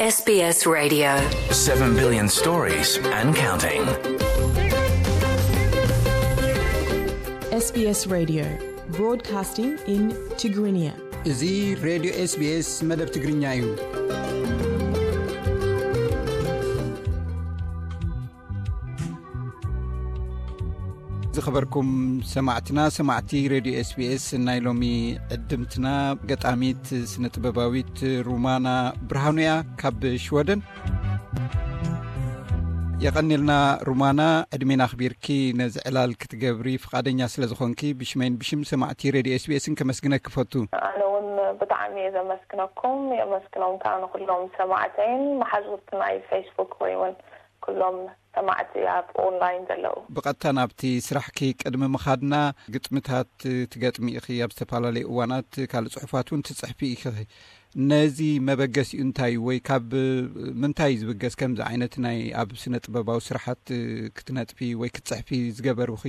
S B S Radio. Seven billion stories and counting. S B S Radio, broadcasting in Tigrinya. እዚ ሬድዮ S B S መደብ ትግርኛ እዩ። ዝኸበርኩም ሰማዕትና፣ ሰማዕቲ ሬድዮ S B S፣ ናይ ሎሚ ዕድምትና ገጣሚት ስነ ጥበባዊት ሩማና ብርሃኑ እያ ካብ ሽወደን። የቐኒልና ሩማና፣ ዕድሜና ኣኽቢርኪ ነዚ ዕላል ክትገብሪ ፍቓደኛ ስለ ዝኾንኪ ብሽመይን ብሽም ሰማዕቲ ሬድዮ S B S ን ከመስግነኪ ፈቱ። ኣነ እውን ብጣዕሚ እየ ዘመስግነኩም። የመስግኖም ከዓ ንኩሎም ሰማዕተይን መሓዙት ናይ ፌስቡክ ወይ እውን ኩሎም ሰማዕቲ ኣብ ኦንላይን ዘለዉ። ብቐጥታ ናብቲ ስራሕኪ ቅድሚ ምኻድና፣ ግጥምታት ትገጥሚ ኢኺ፣ ኣብ ዝተፈላለዩ እዋናት ካልእ ጽሑፋት እውን ትጽሕፊ ኢኺ። ነዚ መበገሲኡ እንታይ እዩ? ወይ ካብ ምንታይ እዩ ዝብገስ ከምዚ ዓይነት ናይ ኣብ ስነ ጥበባዊ ስራሓት ክትነጥፊ ወይ ክትጽሕፊ ዝገበሩኺ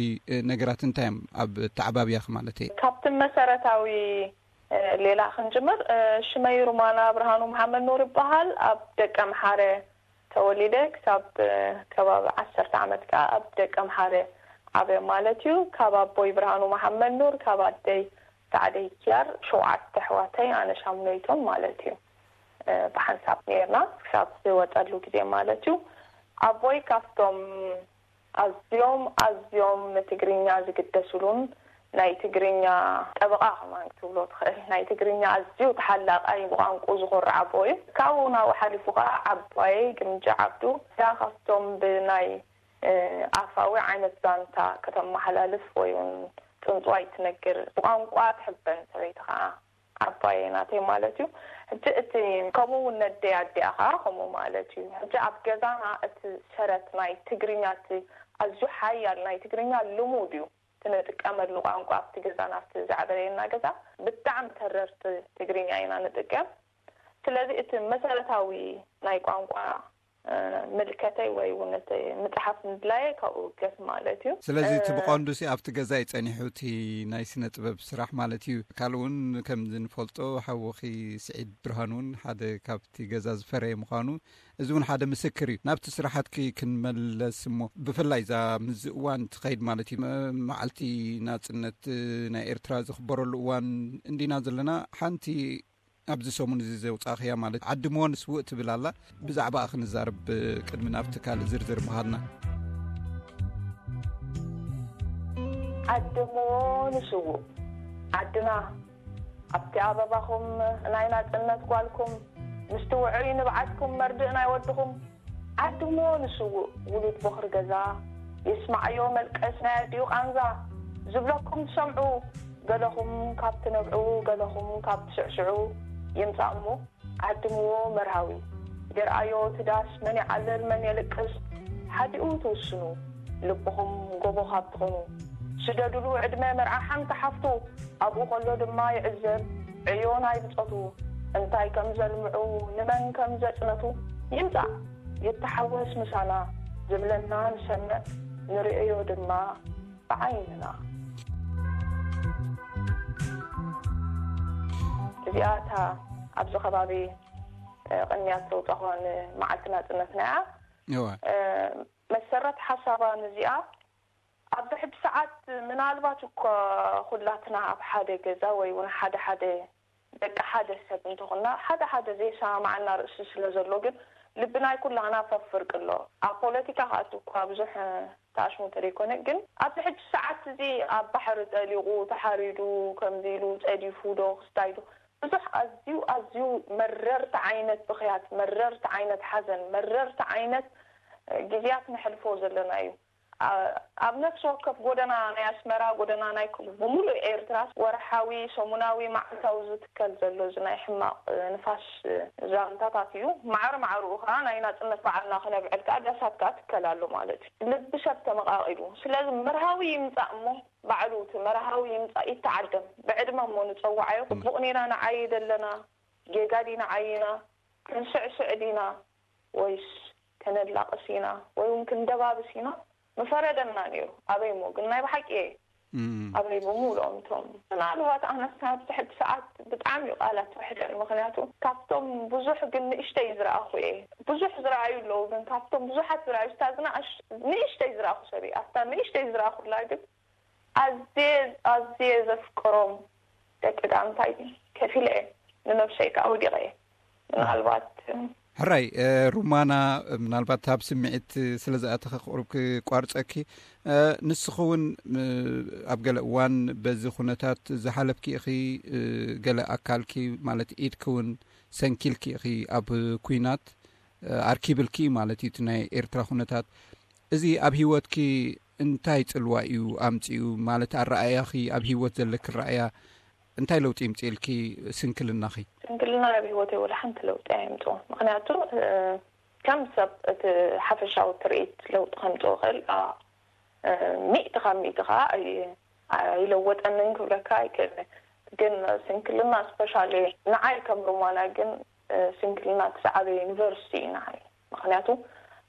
ነገራት እንታይ እዮም? ኣብ ኣተዓባብያኺ ማለት እየ። ካብቲ መሰረታዊ ሌላ ክንጅምር፣ ሽመይ ሩማና ብርሃኑ መሓመድ ኑር ይበሃል። ኣብ ደቀ ምሓረ ተወሊደ ክሳብ ከባቢ ዓሰርተ ዓመት ከዓ ኣብ ደቀ ምሓረ ዓብየ ማለት እዩ። ካብ ኣቦይ ብርሃኑ መሓመድ ኑር፣ ካብ ኣደይ ሳዕደይ ኪያር ሸውዓተ ኣሕዋተይ ኣነ ሻሙነይቶም ማለት እዩ። ብሓንሳብ ነይርና ክሳብ ዝወፀሉ ግዜ ማለት እዩ። ኣቦይ ካብቶም ኣዝዮም ኣዝዮም ንትግርኛ ዝግደስሉን ናይ ትግርኛ ጠበቓ ከማን ክትብሎ ትኽእል፣ ናይ ትግርኛ ኣዝዩ ተሓላቓይ ብቋንቁ ዝኾርዕ ኣቦ እዩ። ካብኡ ናብኡ ሓሊፉ ከዓ ዓባየይ ግምጃ ዓብዱ እያ ካብቶም ብናይ ኣፋዊ ዓይነት ዛንታ ከተመሓላልፍ ወይ እውን ፅንፅዋይ ትነግር ብቋንቋ ትሕበን ሰበይቲ ከዓ ዓባየይ ናተይ ማለት እዩ። ሕጂ እቲ ከምኡ እውን ነደይ ኣዲኣ ከዓ ከምኡ ማለት እዩ። ሕጂ ኣብ ገዛና እቲ ሰረት ናይ ትግርኛ እቲ ኣዝዩ ሓያል ናይ ትግርኛ ልሙድ እዩ። እቲ ንጥቀመሉ ቋንቋ ኣብቲ ገዛና ኣብቲ ዝዓበየና ገዛ ብጣዕሚ ተረርቲ ትግርኛ ኢና ንጥቀም። ስለዚ እቲ መሰረታዊ ናይ ቋንቋ ምልከተይ ወይ እውን እቲ ምፅሓፍ ምድላየ ካብኡ ገስ ማለት እዩ። ስለዚ እቲ ብቐንዱ ሲ ኣብቲ ገዛ እዩ ፀኒሑ እቲ ናይ ስነ ጥበብ ስራሕ ማለት እዩ። ካልእ እውን ከምዚ ንፈልጦ ሓውኺ ስዒድ ብርሃን እውን ሓደ ካብቲ ገዛ ዝፈረየ ምዃኑ እዚ እውን ሓደ ምስክር እዩ። ናብቲ ስራሓትኪ ክንመለስ እሞ ብፍላይ እዛ ምዚ እዋን ትኸይድ ማለት እዩ መዓልቲ ናፅነት ናይ ኤርትራ ዝኽበረሉ እዋን እንዲና ዘለና ሓንቲ ኣብዚ ሰሙን እዚ ዘውጻእኽያ ማለት ዓዲ ሞን ስውእ ትብል ኣላ። ብዛዕባኣ ክንዛረብ ቅድሚ ናብቲ ካልእ ዝርዝር ምኻድና። ዓዲ ሞን ስውእ ዓድና ኣብቲ ኣበባኹም ናይ ናጽነት ጓልኩም ምስቲ ውዑይ ንብዓትኩም መርድእ ናይ ወድኹም ዓዲ ሞን ስውእ ውሉድ ቦኽሪ ገዛ ይስማዓዮ መልቀስ ናይ ኣዲኡ ቃንዛ ዝብለኩም ትሰምዑ ገለኹም ካብ ትነብዑ ገለኹም ካብ ትስዕስዑ ይምጻእ እሞ ዓድምዎ መርሃዊ ይርኣዮ እቲ ዳስ መን ይዓልል መን የልቅስ ሓዲኡ ትውስኑ ልብኹም ጎቦ ካብ ትኾኑ ስደድሉ ዕድመ መርዓ ሓንቲ ሓፍቱ ኣብኡ ከሎ ድማ ይዕዘብ ዕዮ ናይ ብጾቱ እንታይ ከም ዘልምዑ ንመን ከም ዘጽነቱ ይምጻእ ይተሓወስ ምሳና ዝብለና ንሰምዕ ንርእዮ ድማ ብዓይንና። እዚኣ እታ ኣብዚ ከባቢ ቅንያት ዘውፃእኳ ንመዓልቲ ናፅነትና እያ። መሰረት ሓሳባ ንዚኣ ኣብዚ ሕጂ ሰዓት ምናልባት እኳ ኩላትና ኣብ ሓደ ገዛ ወይ እውን ሓደ ሓደ ደቂ ሓደ ሰብ እንተኾንና ሓደ ሓደ ዘይሰማማዓና ርእሲ ስለ ዘሎ ግን ልቢ ናይ ኩላህና ፈፍርቅ ኣሎ። ኣብ ፖለቲካ ክኣቱ እኳ ብዙሕ ተኣሽሙ እንተደይኮነ ግን ኣብዚ ሕጂ ሰዓት እዚ ኣብ ባሕሪ ጠሊቑ ተሓሪዱ ከምዚ ኢሉ ፀዲፉ ዶ ክስታይ ዶ ብዙሕ ኣዝዩ ኣዝዩ መረርቲ ዓይነት ብኽያት መረርቲ ዓይነት ሓዘን መረርቲ ዓይነት ግዜያት ነሕልፎ ዘለና እዩ። ኣብ ነፍሲ ወከፍ ጎደና ናይ ኣስመራ ጎደና ናይ ብምሉእ ኤርትራ ወርሓዊ ሰሙናዊ መዓልታዊ ዝትከል ዘሎ እዚ ናይ ሕማቕ ንፋስ ዛንታታት እዩ። ማዕረ ማዕርኡ ከዓ ናይ ናፅነት በዓልና ክነብዕል ከዓ ዳሳት ከዓ ትከል ኣሎ ማለት እዩ። ልቢ ሰብ ተመቃቂሉ ስለዚ መርሃዊ ይምፃእ እሞ ባዕሉ እቲ መርሃዊ ይምፃእ ይተዓደም ብዕድመ እሞ ንፀዋዓዮ ፅቡቕ ኔና ንዓይ ደለና ጌጋ ዲና ዓይና ክንስዕስዕ ዲና ወይስ ከነላቕስ ኢና ወይ እውን ክንደባብስ ኢና ምፈረደና ነይሩ። ኣበይ እሞ ግን ናይ ብሓቂ እየ ኣበይ ብምሉኦም እቶም ምናልባት ኣነስ ናብዚ ሕጂ ሰዓት ብጣዕሚ እዩ ቃላት ውሕደን። ምክንያቱ ካብቶም ብዙሕ ግን ንእሽተይ ዝረኣኹ እየ። ብዙሕ ዝረኣዩ ኣለዉ፣ ግን ካብቶም ብዙሓት ዝረኣዩ ስታ ዝናእሽ ንእሽተይ ዝረኣኹ ሰብ እየ። ኣብታ ንእሽተይ ዝረኣኹላ ግን ኣዝየ ኣዝየ ዘፍቅሮም ደቂ ዳንታይ ከፊለ እየ ንነብሰይ ከዓ ወዲቐ እየ። ምናልባት ሕራይ ሩማና፣ ምናልባት ኣብ ስምዒት ስለ ዝኣተኸ ክቁርብ ክቋርፀኪ። ንስኺ እውን ኣብ ገለ እዋን በዚ ኩነታት ዝሓለፍኪ ኢኺ። ገለ ኣካልኪ ማለት ኢድኪ እውን ሰንኪልኪ ኢኺ ኣብ ኩናት ኣርኪብልኪ ማለት እዩ እቲ ናይ ኤርትራ ኩነታት። እዚ ኣብ ህይወትኪ እንታይ ጽልዋ እዩ ኣምጺኡ? ማለት ኣረኣእያኺ፣ ኣብ ህይወት ዘለኪ ረኣያ እንታይ ለውጢ ይምጽእልኪ ስንክልናኺ? ስንክልና ኣብ ህይወተይ ወላ ሓንቲ ለውጢ ኣየምጽኡን። ምክንያቱ ከም ሰብ እቲ ሓፈሻዊ ትርኢት ለውጢ ከምጽእ ይኽእል፣ ሚእቲ ካብ ሚእቲ ከዓ ኣይለወጠንን ክብለካ ኣይክእልን። ግን ስንክልና ስፔሻሊ ንዓይ ከም ሩማና ግን ስንክልና እቲ ዝዓበየ ዩኒቨርሲቲ እዩ ንዓይ። ምክንያቱ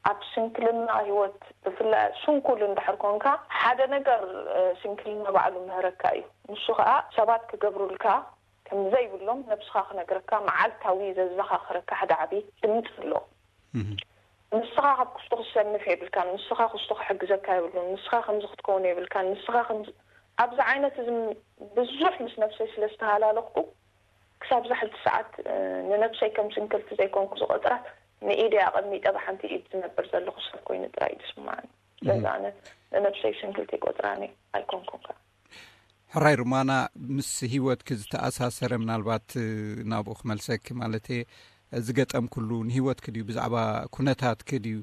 ኣብ ስንክልና ህይወት ብፍላይ ስንኩል እንድሕር ኮንካ ሓደ ነገር ስንክልና ባዕሉ ምህረካ እዩ። ንሱ ከዓ ሰባት ክገብሩልካ ከም ዘይብሎም ነብስኻ ክነግረካ መዓልታዊ ዘዘኻኽረካ ሓደ ዓብዪ ድምፂ ኣሎ። ንስኻ ካብ ክስቶ ክሰንፍ የብልካን፣ ንስኻ ክስቶ ክሕግዘካ የብሉን፣ ንስኻ ከምዚ ክትከውን የብልካን፣ ንስኻ ከምዚ ኣብዚ ዓይነት እዚ ብዙሕ ምስ ነብሰይ ስለ ዝተሃላለኽኩ ክሳብ ዛ ሕጂ ሰዓት ንነብሰይ ከም ስንክልቲ ዘይኮንኩ ዝቆፅራ ንኢደይ ኣቐሚጠ ብሓንቲ ኢድ ዝነብር ዘለኹ ሰብ ኮይኑ ጥራይ እዩ ዝስምዓኒ። ስለዚ ኣነ ንነብሰይ ስንክልቲ ይቆፅራኒ ኣይኮንኩን ከዓ። ሕራይ ሩማና፣ ምስ ህይወትኪ ዝተኣሳሰረ ምናልባት ናብኡ ክመልሰኪ ማለት እየ፣ ዝገጠምክሉ ንህይወትኪ ድዩ ብዛዕባ ኩነታትኪ ድዩ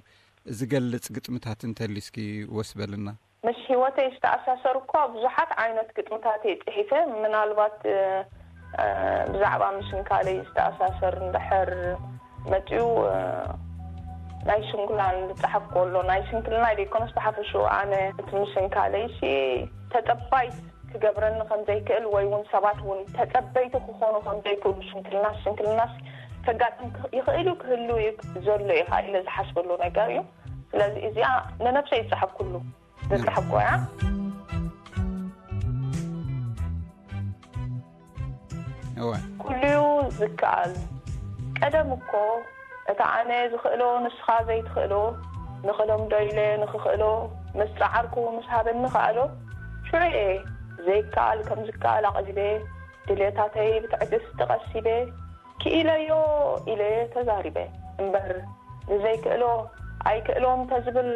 ዝገልጽ ግጥምታት እንተልዩ እስኪ ወስበልና። ምስ ህይወተይ ዝተኣሳሰሩ እኳ ብዙሓት ዓይነት ግጥምታት እየ ጽሒፈ። ምናልባት ብዛዕባ ምስንካለይ ዝተኣሳሰር እንድሕር መጺኡ ናይ ስንኩላን ዝጸሓፍ ከሎ ናይ ስንክልናይ ዘይኮነስ ብሓፈሽኡ ኣነ እቲ ምስንካለይሲ ተጸባይት ክገብረኒ ከም ዘይክእል ወይ እውን ሰባት እውን ተጸበይቲ ክኾኑ ከም ዘይክእሉ ስንክልናስ ስንክልናስ ከጋጥም ይኽእል እዩ ክህሉ እዩ ዘሎ እዩ ኢለ ዝሓስበሉ ነገር እዩ። ስለዚ እዚኣ ንነብሰይ ዝጸሓፍኩሉ ዝጸሓፍኩ እያ። ኩሉዩ ዝከኣል። ቀደም እኮ እቲ ኣነ ዝኽእሎ ንስኻ ዘይትኽእሎ ንኽለምዶ ኢለ ንኽኽእሎ ምስ ጸዓርኩ ምስ ሃበኒ ከኣሎ ሽዑ እየ ዘይከኣል ከም ዝከኣል ኣቕሊበ ድሌታተይ ብትዕግስቲ ቀሲበ ክኢለዮ ኢለ ተዛሪበ እምበር ንዘይክእሎ ኣይክእሎን ተዝብል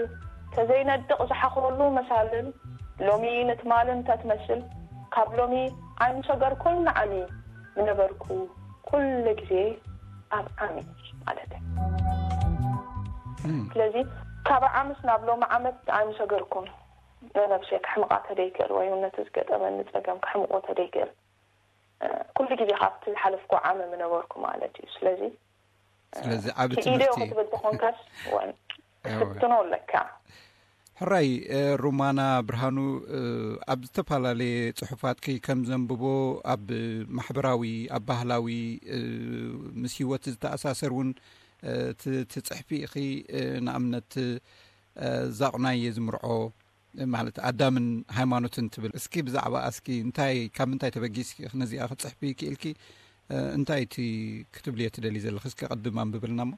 ተዘይነድቕ ዝሓኽረሉ መሳልል ሎሚ ንትማል እንተትመስል ካብ ሎሚ ኣይምሰገርኩን ንዓሚ ምነበርኩ ኩሉ ግዜ ኣብ ዓሚ ማለት እዩ። ስለዚ ካብ ዓምስ ናብ ሎሚ ዓመት ኣይምሰገርኩን ንነብሰይ ክሕምቓ ተደይክእል ወይ እውን ነቲ ዝገጠመኒ ጸገም ክሕምቆ ተደይክእል ኩሉ ግዜ ካብቲ ዝሓለፍኩ ዓሚ ምነበርኩ ማለት እዩ። ስለዚ ስለዚ ዓቢ ክኢለዮ ትምህርቲ ክትብል ተኾንካስ ወን ክትፍትኖ ኣለካ። ሕራይ ሩማና ብርሃኑ፣ ኣብ ዝተፈላለየ ጽሑፋትኪ ከም ዘንብቦ ኣብ ማሕበራዊ ኣብ ባህላዊ ምስ ህይወት ዝተኣሳሰር እውን ትጽሕፊ ኢኺ። ንኣብነት ዛቑናይ እየ ዝምርዖ ማለት ኣዳምን ሃይማኖትን ትብል። እስኪ ብዛዕባ እስኪ እንታይ ካብ ምንታይ ተበጊስኪ ነዚኣ ክትጽሕፊ ክኢልኪ? እንታይ እቲ ክትብልዮ ትደሊ ዘለኺ? እስኪ ቅድም ኣንብብልና እሞ።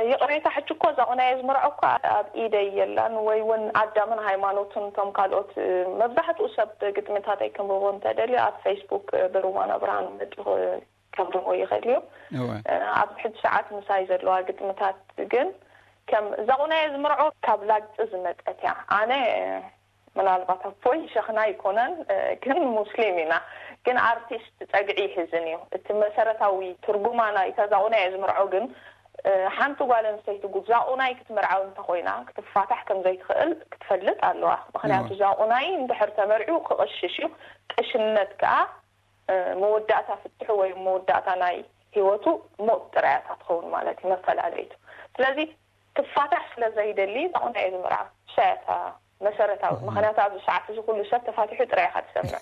ይቕሬታ፣ ሕጂ እኮ እዛ ቁናየ ዝምርዖ እኮ ኣብ ኢደይ የላን፣ ወይ እውን ኣዳምን ሃይማኖትን እቶም ካልኦት መብዛሕትኡ ሰብ ግጥምታተይ ክንብቦ እንተደልዩ ኣብ ፌስቡክ ብሩማና ብርሃኑ መጢኹ ከንብቦ ይኽእል እዩ። ኣብዚ ሕጂ ሰዓት ምሳይ ዘለዋ ግጥምታት ግን ከም እዛ ቁናየ ዝምርዖ ካብ ላግፂ ዝመፀት እያ። ኣነ ምናልባት ኣቦይ ሸኽና ኣይኮነን፣ ግን ሙስሊም ኢና። ግን ኣርቲስት ጸግዒ ይሕዝን እዩ። እቲ መሰረታዊ ትርጉማ ናይታ ዛቑናይ እየ ዝምርዖ ግን ሓንቲ ጓል ኣንስተይቲ ዛቑናይ ክትምርዓው እንተኾይና ክትፋታሕ ከም ዘይትኽእል ክትፈልጥ ኣለዋ። ምክንያቱ ዛቑናይ እንድሕር ተመርዒው ክቕሽሽ እዩ። ቅሽነት ከኣ መወዳእታ ፍትሑ ወይ መወዳእታ ናይ ህይወቱ ሞት ጥራያታ ትኸውን ማለት እዩ መፈላለይቱ። ስለዚ ትፋታሕ ስለ ዘይደሊ ዛቑናይ እየ ዝምርዓ። እሳ እያ እታ መሰረታዊ። ምክንያቱ ኣብዚ ሰዓት እዚ ኩሉ ሰብ ተፋቲሑ ጥራይ ኢኻ ትሰምዕ።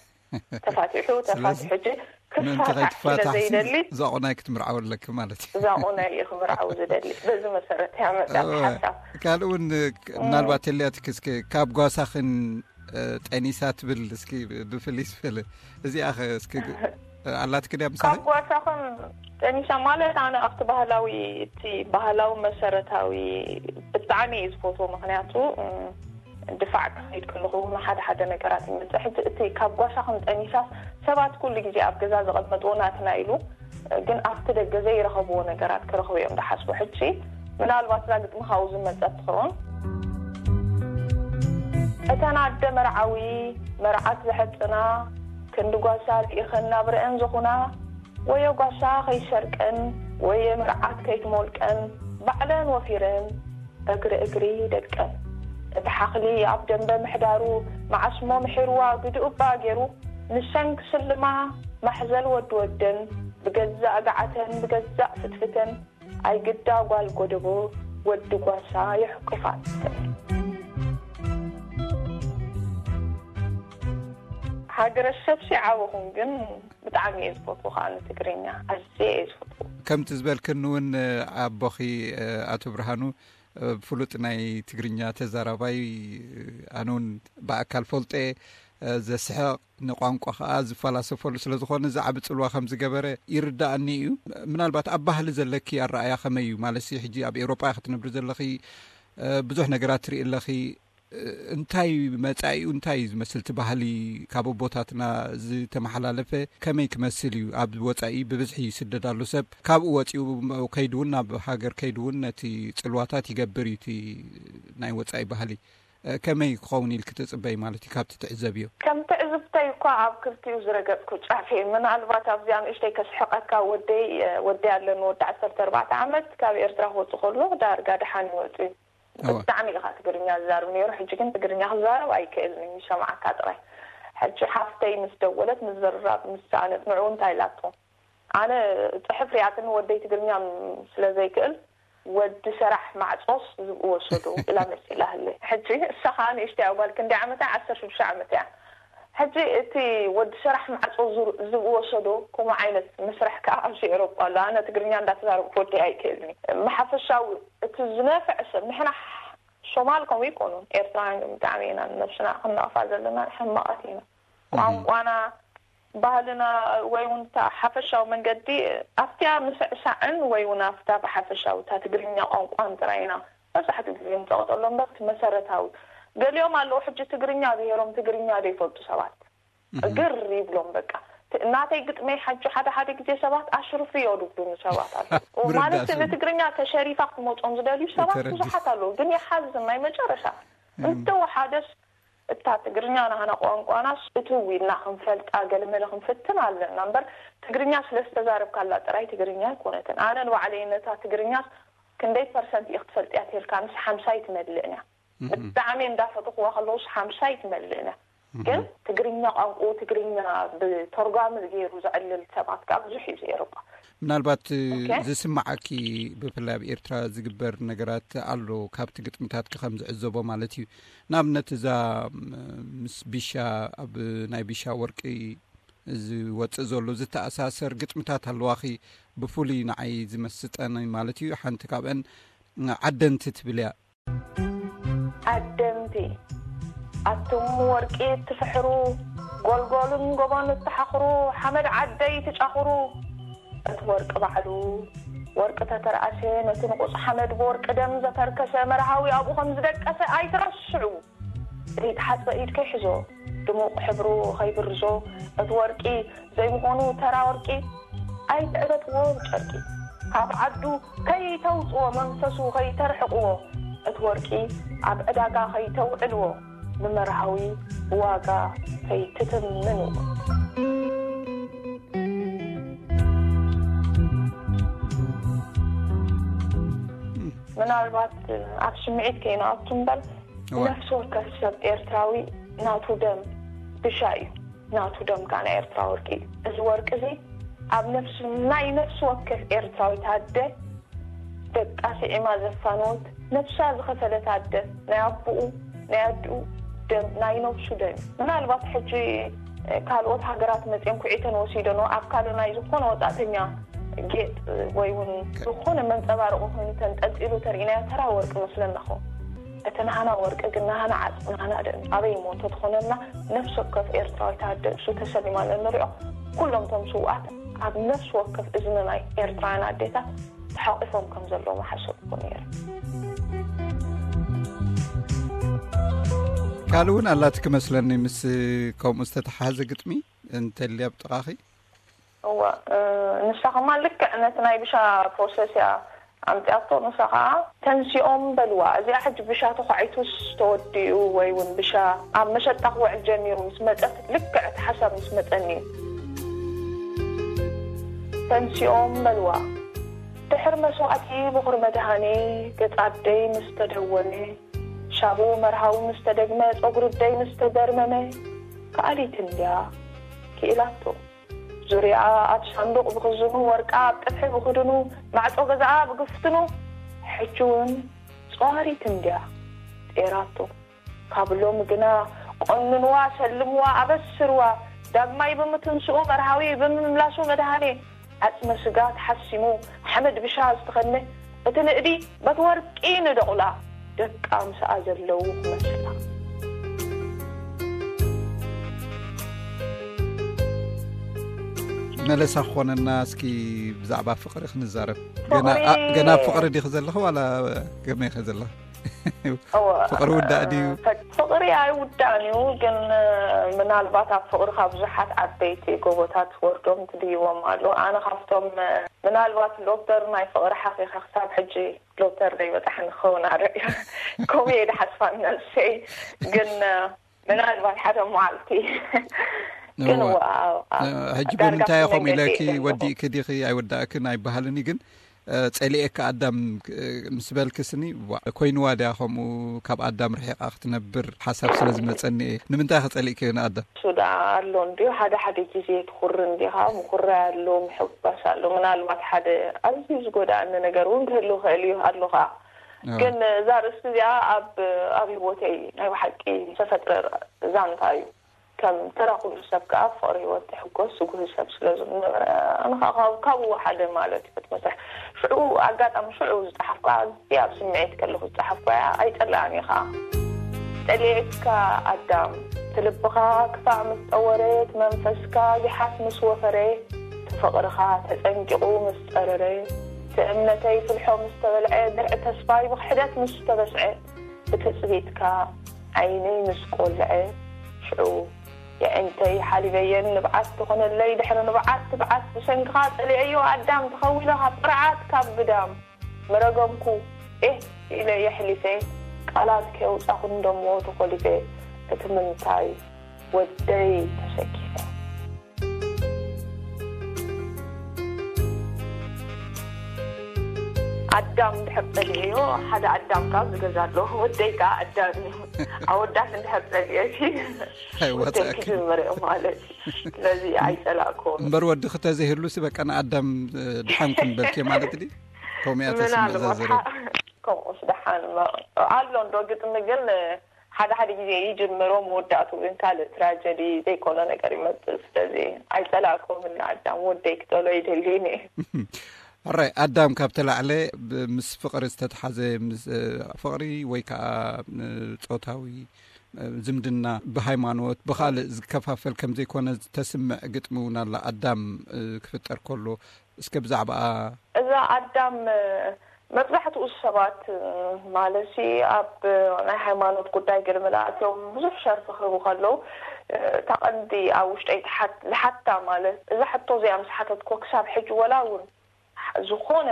ተፋቲሑ ተፋቲሑ ሕጂ ምእንቲ ክፋታሕ ስለ ከይትፋታሕሲ ዘይደሊ ዛቑናይ ክትምርዓው ኣለኪ ማለት እዩ። ዛቑናይ እዩ ክምርዓው ዝደሊ። በዚ መሰረት እያ መፅያ እወ። ሓሳብ ካልእ እውን ምናልባት ተልያትኪ እስከ ካብ ጓሳኽን እ፣ ጠኒሳ ትብል፣ እስኪ ብፍልይ ዝበለ እዚኣ ኸ እስኪ ግ-፣ ኣላትኪ ድያ ምሳኺ? ካብ ጓሳኹም ጠኒሳ ማለት ኣነ ኣብቲ ባህላዊ፣ እቲ ባህላዊ መሰረታዊ ብጣዕሚ እየ ዝፈትዎ። ምኽንያቱ፣ እም፣ ድፋዕ ክኸይድ ከለኹ እውን ሓደ ሓደ ነገራት ይመጽእ። ሕጂ እቲ ካብ ጓሳኹም ጠኒሳ ሰባት ኩሉ ግዜ ኣብ ገዛ ዘቐመጥዎ ናትና ኢሉ፣ ግን ኣብቲ ደገ ዘይረኸብዎ ነገራት ክረኽቡ እዮም ዝሓስቡ። ሕጂ ምናልባት እዛ ግጥሚ ካብኡ ዝመጸት ትኸውን። እተን ኣደ መርዓዊ መርዓት ዘሐጽና ክንዲ ጓሳ ርኢኸን ናብ ርአን ዝኾና፣ ወዮ ጓሳ ከይሰርቀን፣ ወየ መርዓት ከይትሞልቀን፣ ባዕለን ወፊረን እግሪ እግሪ ደቀን። እቲ ሓኽሊ ኣብ ደንበ ምሕዳሩ፣ መዓስሞ ምሒርዋ ግድኡ እባ ገይሩ፣ ንሰን ክስልማ ማሕዘል ወዲ ወደን፣ ብገዛእ ገዓተን ብገዛእ ፍትፍተን፣ ኣይግዳ ጓል ጎደቦ ወዲ ጓሳ የሕቁፋ። ሃገረሰብሲ ዓበኹም፣ ግን ብጣዕሚ እየ ዝፈትዎ ከዓ ንትግርኛ፣ ኣዝየ እየ ዝፈትዎ። ከምቲ ዝበልክኒ እውን፣ ኣቦኺ፣ ኣቶ ብርሃኑ፣ ፍሉጥ ናይ ትግርኛ ተዛራባይ፣ ኣነ እውን ብኣካል ፈልጦ፣ ዘስሕቕ፣ ንቋንቋ ከዓ ዝፈላሰፈሉ ስለ ዝኾነ፣ ዝዓቢ ጽልዋ ከም ዝገበረ ይርዳእኒ እዩ። ምናልባት ኣብ ባህሊ ዘለኪ ኣረኣያ ከመይ እዩ? ማለትሲ፣ ሕጂ ኣብ ኤውሮጳ ክትነብሪ ዘለኺ፣ ብዙሕ ነገራት ትርኢ ኣለኺ። እንታይ መጻኢኡ እንታይ እዩ ዝመስል? እቲ ባህሊ ካብ ኣቦታትና ዝተመሓላለፈ ከመይ ክመስል እዩ? ኣብ ወጻኢ ብብዝሒ ይስደድ ኣሎ ሰብ። ካብኡ ወጺኡ ከይዱ እውን፣ ናብ ሃገር ከይዱ እውን ነቲ ጽልዋታት ይገብር እዩ፣ እቲ ናይ ወጻኢ ባህሊ። ከመይ ክኸውን ኢልኪ ትጽበይ ማለት እዩ ካብቲ ትዕዘብዮ? ከም ትዕዝብተይ እኳ ኣብ ክልቲኡ ዝረገጽኩ ጫፍ እየ። ምናልባት ኣብዚኣ ንእሽተይ ከስሕቐካ፣ ወደይ፣ ወደይ ኣለኒ፣ ወዲ ዓሰርተ ኣርባዕተ ዓመት፣ ካብ ኤርትራ ክወጽእ ከሎ ዳርጋ ደሓን ይወጽእ እዩ። እወ። ብጣዕሚ ኢኻ ትግርኛ ዝዛረብ ነይሩ፣ ሕጂ ግን ትግርኛ ክዛረብ ኣይክእልን እዩ፣ ይሰምዓካ ጥራይ። ሕጂ ሓፍተይ ምስ ደወለት፣ ምዝርራብ ምስ ሰኣነት፣ ንዕኡ እንታይ ኢላቶ? ኣነ ጽሑፍ ሪኣትኒ፣ ወደይ ትግርኛ ም-፣ ስለ ዘይክእል፣ "ወዲ ሰራሕ ማዕጾስ ዝብኢ ወሰዶ" ኢላ መሲላ ህለ። ሕጂ እሳ ኸኣ ንእሽተይ እያ ጓል፣ ክንደይ ዓመታ? ዓሰርተ ሽዱሽተ ዓመት እያ። ሕጂ እቲ "ወዲ ሰራሕ ማዕጾ ዙር-፣ ዝብኢ ወሰዶ" ከምኡ ዓይነት መስርሕ ከኣ ኣብዚ ኤውሮጳ ኣሎ። ኣነ ትግርኛ እንዳተዛረብኩ ወደይ ኣይክእልን እዩ። ብሓፈሻዊ እቲ ዝነፍዕ ሰብ፣ ንሕና ሶማል ከምኡ ኣይኮኑን፣ ኤርትራውያን ግን ብጣዕሚ ኢና ንነብስና ክንነቕፋ ዘለና፣ ሕማቓት ኢና። እህ። ቋንቋና፣ ባህልና፣ ወይ እውን እታ ሓፈሻዊ መንገዲ ኣብቲያ ምስዕሳዕን ወይ እውን ኣብታ ብሓፈሻዊ እታ ትግርኛ ቋንቋን ጥራይ ኢና መብዛሕትኡ ግዜ ንጸቕጠሎም እምበር እቲ መሰረታዊ። ገሊኦም ኣለዉ ሕጂ ትግርኛ ብሄሮም ትግርኛ ዘይፈልጡ ሰባት። እህ። ግር ይብሎም በቃ። ት-፣ ናተይ ግጥመይ ሓጂ ሓደ ሓደ ግዜ ሰባት ኣሽርፍዮ ድብሉኒ ሰባት ኣለዉ። ምርዳእ ማለት ሰብ። ንትግርኛ ተሸሪፋ ክትመጾም ዝደልዩ ሰባት ተረዲእ። ብዙሓት ኣለዉ፣ ግን ይሓዝን ናይ መጨረሻ። እም። እንተወሓደስ እታ ትግርኛ ናህና ቋንቋናስ እትው ኢልና ክንፈልጣ ገለመለ ክንፍትን ኣለና እምበር፣ ትግርኛ ስለ ዝተዛረብካላ ጥራይ ትግርኛ ኣይኮነትን። ኣነ ንባዕለይ ነታ ትግርኛ ክንደይ ፐርሰንት ኢኺ ትፈልጥያ ተልካንስ ሓምሳ ኣይትመልእን እያ። እህ። ብጣዕሚ እንዳፈተኽዋ ከለውስ ሓምሳ ኣይትመልእን እያ። እህ። ግን ትግርኛ ቋንቋ ትግርኛ ብተርጓሚ ገይሩ ዘዕልል ሰባት ከኣ ብዙሕ እዩ እዚ ኤውሮጳ። ምናልባት ኦኬ። ዝስምዓኪ ብፍላይ ኣብ ኤርትራ ዝግበር ነገራት ኣሎ፣ ካብቲ ግጥምታትኪ ከም ዝዕዘቦ ማለት እዩ። ንኣብነት እዛ፣ ም-፣ ምስ ቢሻ፣ ኣብ ናይ ቢሻ ወርቂ ዝወጽእ ዘሎ ዝተኣሳሰር ግጥምታት ኣለዋኺ፣ ብፍሉይ ንዓይ ዝመስጠኒ ማለት እዩ። ሓንቲ ካብአን ዓደንቲ ትብል እያ። ዓደንቲ፣ ኣቱም ወርቂ እትፍሕሩ፣ ጎልጎልን ጎቦን እትሓኽሩ፣ ሓመድ ዓደይ ትጫኹሩ፣ እቲ ወርቂ ባዕሉ ወርቂ ተተርኣሰ፣ ነቲ ንቑጽ ሓመድ ብወርቂ ደም ዘተርከሰ መርሃዊ ኣብኡ ከም ዝደቀሰ ኣይትረስዑ። ዘይተሓጽበ ኢድ ከይሕዞ፣ ድሙቕ ሕብሩ ከይብርዞ፣ እቲ ወርቂ ዘይምዃኑ ተራ ወርቂ ኣይትዕበጥዎ ብጨርቂ። ካብ ዓዱ ከይተውጽዎ፣ መንፈሱ ከይተርሕቕዎ፣ እቲ ወርቂ ኣብ ዕዳጋ ከይተውዕልዎ፣ ንመርሃዊ ብዋጋ ከይትትምንዎ። ምናልባት ኣብ ስምዒት ከይንኣቱ እምበር፣ እዋ። ነፍሲ ወከፍ ሰብ ኤርትራዊ ናቱ ደም ብሻ እዩ። ናቱ ደም ከኣ ናይ ኤርትራ ወርቂ እዩ። እዚ ወርቂ እዚ ኣብ ነፍሲ፣ ናይ ነፍሲ ወከፍ ኤርትራዊት ኣደ፣ ደቃ ስዒማ ዘፋነወት፣ ነፍሳ ዝኸፈለት ኣደ፣ ናይ ኣቦኡ፣ ናይ ኣዲኡ ደም፣ ናይ ነብሱ ደም እዩ። ምናልባት ሕጂ፣ እ፣ ካልኦት ሃገራት መጺኦም ኩዒተን ወሲደንኦ፣ ኣካሉ ናይ ዝኾነ ወጻእተኛ ጌጥ ወይ እውን ከ- ዝኾነ መንጸባረቂ ኮይኑ ተንጠልጢሉ ተርኢናዮ፣ ተራ ወርቂ መስለና ኸውን። እቲ ናህና ወርቂ ግን ናህና ዓጽሚ፣ ናህና ደም ኣበይ እሞ እንተትኾነልና፣ ነፍሲ ወከፍ ኤርትራዊት ኣደ እሱ ተሰሊማ ንንሪኦ። ኩሎም እቶም ስውኣት ኣብ ነፍሲ ወከፍ እዝኒ ናይ ኤርትራውያን ኣዴታት ተሓቂፎም ከም ዘለዉ ምሓሰብኩ ነይረ። ካልእ እውን ኣላትኪ መስለኒ፣ ምስ ከምኡ ዝተተሓዘ ግጥሚ እንተልያ ኣብ ጥቓኺ። እዋ፣ እ፣ ንሳ ከማ ልክዕ ነቲ ናይ ብሻ ፕሮሰስ እያ ኣምፅኣቶ። ንሳ ከዓ፣ "ተንሲኦም በልዋ፣ እዚኣ ሕጂ ብሻ ተኳዒቱስ ተወዲኡ ወይ እውን ብሻ ኣብ መሸጣ ክውዕል ጀሚሩ" ምስ መፀት፣ ልክዕ እቲ ሓሳብ ምስ መፀኒ እዩ። "ተንሲኦም በልዋ፣ ድሕር መስዋእቲ ብኹር መድሃኔ፣ ገፅ ኣደይ ምስ ተደወነ፣ ሻቡ መርሃዊ ምስ ተደግመ፣ ፀጉሪ ኣደይ ምስ ተደርመመ፣ ከኣሊት እንድያ ክኢላቶ። ዙርያኣ ኣብ ሳንዱቕ ብኽዝኑ፣ ወርቃ ኣብ ጥፍሒ ብኽድኑ፣ ማዕጾ ገዛኣ ብግፍትኑ፣ ሕጂ እውን ጸዋሪት እንድያ ጤራቶ። ካብ ሎሚ ግና ቆንንዋ፣ ሰልምዋ፣ ኣበስርዋ። ዳግማይ ብምትንስኡ፣ መርሃዊ ብምምላሱ፣ መድሃኔ ዓጽመ ስጋ ተሓሲሙ፣ ሓመድ ብሻ ዝተኸነ፣ እቲ ንእዲ በቲ ወርቂ ንደቑላ፣ ደቃ ምስኣ ዘለዉ ክመስላ። መለሳ ክኾነና፣ እስኪ ብዛዕባ ፍቕሪ ክንዛረብ። ገና ፍቕሪ ኣ-፣ ገና ኣብ ፍቕሪ ዲኺ ዘለኺ ዋላ ከመይ ኢኺ ዘለኺ? እወ፣ ፍቕሪ ውዳእ ድዩ? ፈ-፣ ፍቕሪ ኣይውዳእን እዩ፣ ግን፣ እ፣ ምናልባት ኣብ ፍቕርኻ ብዙሓት ዓበይቲ ጎቦታት ወርዶም ትድይቦም ኣለዉ። ኣነ ካብቶም፣ እ፣ ምናልባት ዶክተር ናይ ፍቕሪ ሓኺኻ ክሳብ ሕጂ ዶክተር ዘይበጻሕኒ ክኸውን ኣርእ እዩ። ከምኡ እየ ድሓስባ ነብሰይ። ግን፣ እ፣ ምናልባት ሓደ መዓልቲ። ግን እወ። እወ፣ ኣብ፣ ኣብ ሕጂ ዳርጋ ብምንታይ እየ ከምኡ መንገዲ ኢለኪ እየ ዘለኹ። ወዲእኪ ዲኺ ኣይወዳእክን ኣይበሃልን እዩ፣ ግን፣ እ፣ ጸሊኤካ ኣዳም፣ እ፣ ምስ በልኪ ስኒ፣ ዋ፣ ኮይንዋ ድያ ከምኡ ካብ ኣዳም ርሒቓ ክትነብር ሓሳብ ስለ ዝመጸኒ እየ። ንምንታይ ከ ጸሊእክዮ ንኣዳም? እሱ ደኣ ኣሎ እንድዩ፣ ሓደ ሓደ ግዜ ትኹሪ እንዲኻ፣ ምኹራይ ኣሎ፣ ምሕጓስ ኣሎ። ምናልባት ሓደ ኣዝዩ ዝጎድኣኒ ነገር እውን ክህሉ ይኽእል እዩ፣ ኣሎ ኸኣ። እወ። ግን እዛ ርእስቲ እዚኣ ኣብ፣ ኣብ ህይወተይ ናይ ብሓቂ ዝተፈጥረ ዛንታ እዩ። ከም ተራ ኩሉ ሰብ ከኣ ፍቕሪ ህይወት ትሕጎስ ስጉህ ሰብ ስለ ዝነበረ፣ ኣነ ከኣ ካብ-፣ ካብኡ ሓደ ማለት እዩ እቲ መስርሕ። ሽዑ ኣጋጣሚ ሽዑ ዝጸሓፍኩ፣ ኣዝየ ኣብ ስምዒት ከለኹ ዝጸሓፍኩ እያ፣ ኣይጸልኣን እየ ከኣ። ጸሊኤካ ኣዳም፣ እቲ ልብኻ ክፋእ ምስ ጠወረ፣ እቲ መንፈስካ ጊሓት ምስ ወፈረ፣ እቲ ፍቕርኻ ተጸንቂቑ ምስ ጸረረ፣ እቲ እምነተይ ፍልሖ ምስ ተበልዐ፣ ድርዒ ተስፋይ ብኽሕደት ምስ ተበስዐ፣ ብትጽቢትካ ዓይነይ ምስ ቆልዐ፣ ሽዑ የዒንተይ ሓሊበየን ንብዓት ትኾነለይ፣ ድሕሪ ንብዓት ትብዓት ብሰንክኻ ጸሊኤዮ ኣዳም፣ ተኸዊለ ካብ ቅርዓት ካብ ግዳም ምረገምኩ፣ ኤህ ኢለ የሕሊፈ፣ ቃላት ከየውጻኹ እንደሞ ተኾሊፈ፣ እቲ ምንታይ ወደይ ተሰኪፈ። ኣዳም እንድሕር ጸሊኤዮ፣ ሓደ ኣዳም ካብ ዝገዛ ኣሎ፣ ወደይ ከኣ ኣዳም እዩ። ኣወዳት እንድሕር ጸሊኤ፣ ኣይወጻእክን። ወደይ ክጅምር እየ ማለት እዩ። ስለዚ ኣይጸላእኩን። እምበር ወዲ ክተዘይህሉሲ በቃ ንኣዳም፣ እ፣ ድሓን ኩን በልኪ ማለት ድዩ? ከምኡ እያ ተስምዕ ምናልባት ዘዘረብ። ሓ-፣ ከምኡስ ደሓን እማ ኣሎ እንዶ ግጥሚ ግን፣ ሓደ ሓደ ግዜ ይጅምሮ፣ መወዳእቱ ግን ካልእ ትራጀዲ ዘይኮነ ነገር ይመጽእ። ስለዚ ኣይጸላእኩምን ንኣዳም፣ ወደይ ክጠሎ ይደልይን እየ። ሕራይ ኣዳም፣ ካብ ተላዕለ ብ-፣ ምስ ፍቕሪ ዝተተሓዘ፣ ምስ፣ እ፣ ፍቕሪ ወይ ከዓ፣ እ፣ ጾታዊ፣ እ፣ ዝምድና ብሃይማኖት ብኻልእ ዝከፋፈል ከም ዘይኮነ ዝተስምዕ ግጥሚ እውን ኣላ። ኣዳም፣ እ፣ ክፍጠር ከሎ እስከ ብዛዕባኣ። እዛ ኣዳም፣ እ፣ መብዛሕትኡ ሰባት፣ እ፣ ማለትሲ ኣብ፣ እ፣ ናይ ሃይማኖት ጉዳይ ገለ መለ ኣትዮም ብዙሕ ሸርፊ ክህቡ ከለዉ፣ እ፣ እታ ቀንዲ ኣብ ውሽጠይ ትሓት-፣ ዝሓታ ማለት እዛ ሕቶ እዚኣ ምስ ሓተትኮ ክሳብ ሕጂ ወላ እውን ዝኾነ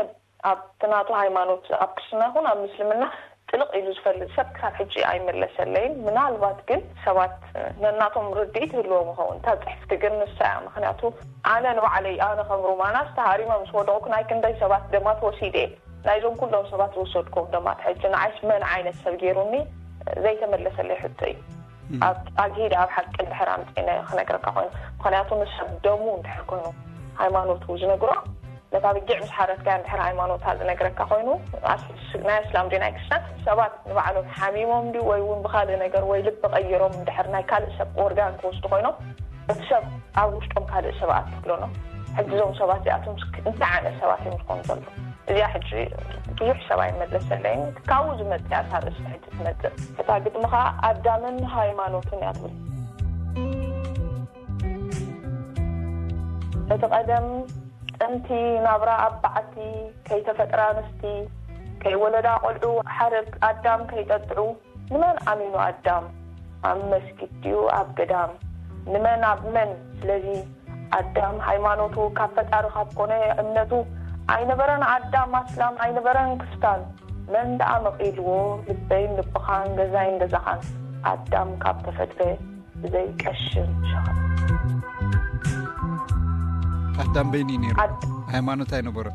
ኣብቲ ናቱ ሃይማኖት ኣብ ክርስትና ይኹን ኣብ ምስልምና ጥልቕ ኢሉ ዝፈልጥ ሰብ ክሳብ ሕጂ ኣይመለሰለይን። ምናልባት ግን ሰባት ነናቶም ርድኢት ይህልዎም ይኸውን። እታ ጽሕፍቲ ግን ንሳ እያ። ምኽንያቱ ኣነ ንባዕለይ፣ ኣነ ከም ሩማናስ ተሃሪመ ምስ ወደቕኩ ናይ ክንደይ ሰባት ደማት ወሲደ እየ። ናይዞም ኩሎም ሰባት ዝወሰድኩም ደማት ሕጂ ንዓይስ መን ዓይነት ሰብ ገይሩኒ ዘይተመለሰለይ ሕቶ እዩ። ኣብ ኣግሂደ ኣብ ሓቂ እንድሕር ኣምፂነ ክነግረካ ኮይኑ፣ ምኽንያቱ ንሰብ ደሙ እንድሕር ኮይኑ ሃይማኖቱ ዝነግሮ፣ ነታ ብጊዕ ምስ ሓረድካያ እንድሕር ሃይማኖታ ዝነግረካ ኮይኑ፣ ኣስ-፣ ናይ እስላም ድዩ ናይ ክርስቲያን፣ ሰባት ንባዕሎም ሓሚሞም ድዩ ወይ እውን ብኻልእ ነገር ወይ ልቢ ቀይሮም እንድሕር ናይ ካልእ ሰብ ኦርጋን ክወስዱ ኮይኖም፣ እቲ ሰብ ኣብ ውሽጦም ካልእ ሰብ ኣትፍሎኖ። ሕጂ እዞም ሰባት እዚኣቶም እንታይ ዓይነት ሰባት እዮም ዝኾኑ ዘለዉ? እዚኣ ሕጂ ብዙሕ ሰብ ኣይመለሰለይን። ካብኡ ዝመጽእ እያ እታ ርእሲ ሕጂ ትመጽእ። እታ ግጥሚ ኸኣ ኣዳምን ሃይማኖትን እያ ትብል። እቲ ቀደም ጥንቲ ናብራ ኣብ በዓቲ፣ ከይተፈጥራ ኣንስቲ፣ ከይወለዳ ቆልዑ ሓረግ ኣዳም ከይጠጥዑ፣ ንመን ኣሚኑ ኣዳም? ኣብ መስጊድ ድዩ ኣብ ገዳም? ንመን ኣብ መን? ስለዚ ኣዳም ሃይማኖቱ ካብ ፈጣሪ ካብ ኮነ እምነቱ ኣይነበረን። ኣዳም ኣስላም ኣይነበረን ክስታን። መን ደኣ መቒልዎ ልበይን ልብኻን ገዛይን ገዛኻን? ኣዳም ካብ ተፈጥረ ብዘይ ቀሽን ሸኸን። ኣዳም በይኒ ነይሩ። ኣድ- ሃይማኖት ኣይነበሮ።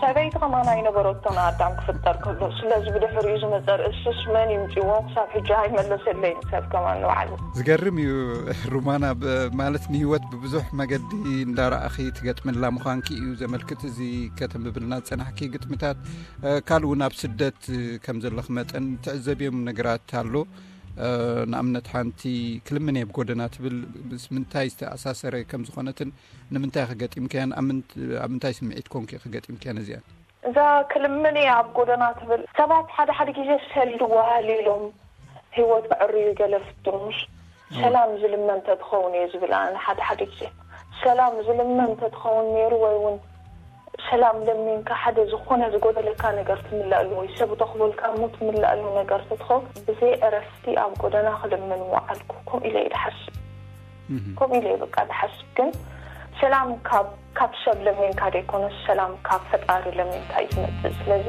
ሰበይቲ ከማን ኣይነበረቶን ኣዳም ክፍጠር ከሎ። ስለዚ ብድሕሪኡ ዝመጸ ርእስስ መን ይምጽዎ? ክሳብ ሕጂ ኣይመለሰለይን ሰብ ከማን ንባዕሉ። ዝገርም እዩ። ሩማና፣ ብ- ማለት ንህይወት ብብዙሕ መገዲ እንዳረኣኺ ትገጥምላ ምዃንኪ እዩ ዘመልክት። እዚ ከተንብብልና ዝጸናሕኪ ግጥምታት፣ እ፣ ካልእ እውን ኣብ ስደት፣ እ፣ ከም ዘለኺ መጠን ትዕዘብዮም ነገራት ኣሎ። እ፣ ንኣብነት ሓንቲ ክልምን እየ ብጎደና ትብል ምስ ምንታይ ዝተኣሳሰረ ከም ዝኾነትን ንምንታይ ክገጢምክያን ኣብ ምንት- ኣብ ምንታይ ስምዒት ኮንኪ ክገጢምክያን እዚኣን? እዛ ክልምን እየ ኣብ ጎደና ትብል ሰባት ሓደ ሓደ ግዜ ሰልዲ ወሃል ኢሎም ህይወት ክዕርዩ ገለ ፍትኑስ ሰላም ዝልመን ተትኸውን እየ ዝብል ኣነ ሓደ ሓደ ግዜ። ሰላም ዝልመን ተትኸውን ነይሩ ወይ እውን ሰላም ለሚንካ ሓደ ዝኾነ ዝጎደለካ ነገር ትምለኣሉ ወይ ሰብ ተኽበልካ እሞ ትምለኣሉ ነገር ተትኸውን ብዘይ ዕረፍቲ ኣብ ጎደና ክልምን ወዓልኩ። ከምኡ ኢለ እየ ድሓስብ። ከምኡ ኢለ እየ በቃ ድሓስብ። ግን ሰላም ካብ ካብ ሰብ ለሚንካ ደይኮነስ ሰላም ካብ ፈጣሪ ለሚንካ እዩ ዝመፅእ። ስለዚ